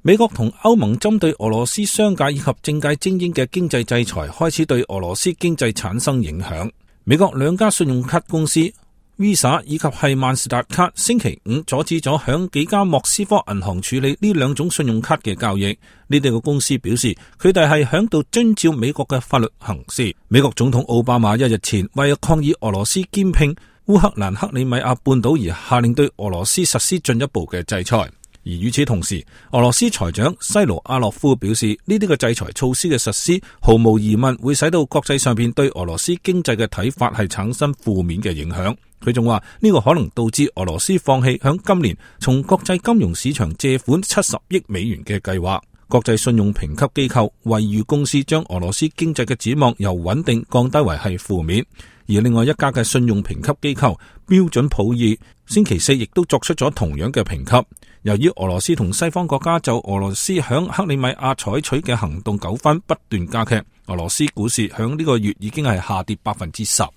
美國同歐盟針對俄羅斯商界以及政界精英嘅經濟制裁開始對俄羅斯經濟產生影響。美國兩家信用卡公司 Visa 以及係萬事達卡星期五阻止咗響幾家莫斯科銀行處理呢兩種信用卡嘅交易。呢啲個公司表示，佢哋係響度遵照美國嘅法律行事。美國總統奧巴馬一日前為抗議俄羅斯兼併烏克蘭克里米亞半島而下令對俄羅斯實施進一步嘅制裁。而與此同時，俄羅斯財長西盧阿洛夫表示，呢啲嘅制裁措施嘅實施毫無疑問會使到國際上邊對俄羅斯經濟嘅睇法係產生負面嘅影響。佢仲話呢個可能導致俄羅斯放棄響今年從國際金融市場借款70億美元嘅計劃。國際信用評級機構惠譽公司將俄羅斯經濟嘅展望由穩定降低為係負面。而另外一家嘅信用評級機構標準普爾星期四亦都作出咗同樣嘅評級。由於俄羅斯同西方國家就俄羅斯響克里米亞採取嘅行動糾紛不斷加劇，俄羅斯股市響呢個月已經係下跌10%。